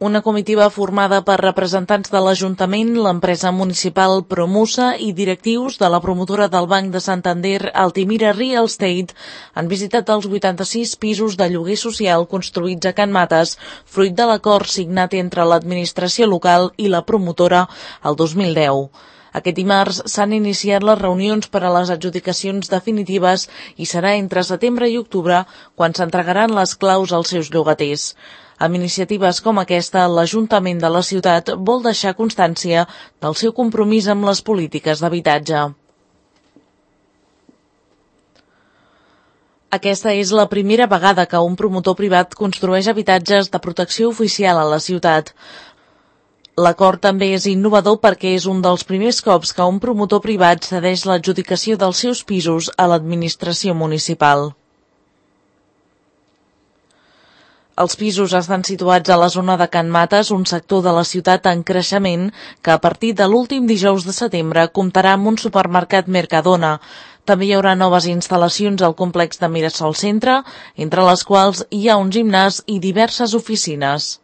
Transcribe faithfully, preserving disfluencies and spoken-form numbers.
Una comitiva formada per representants de l'Ajuntament, l'empresa municipal Promusa i directius de la promotora del Banc de Santander, Altimira Real Estate, han visitat els vuitanta-sis pisos de lloguer social construïts a Can Mates, fruit de l'acord signat entre l'administració local i la promotora el dos mil deu. Aquest dimarts s'han iniciat les reunions per a les adjudicacions definitives i serà entre setembre i octubre quan s'entregaran les claus als seus llogaters. Amb iniciatives com aquesta, l'Ajuntament de la ciutat vol deixar constància del seu compromís amb les polítiques d'habitatge. Aquesta és la primera vegada que un promotor privat construeix habitatges de protecció oficial a la ciutat. L'acord també és innovador perquè és un dels primers cops que un promotor privat cedeix l'adjudicació dels seus pisos a l'administració municipal. Els pisos estan situats a la zona de Can Mates, un sector de la ciutat en creixement que a partir de l'últim dijous de setembre comptarà amb un supermercat Mercadona. També hi haurà noves instal·lacions al complex de Mirasol Centre, entre les quals hi ha un gimnàs i diverses oficines.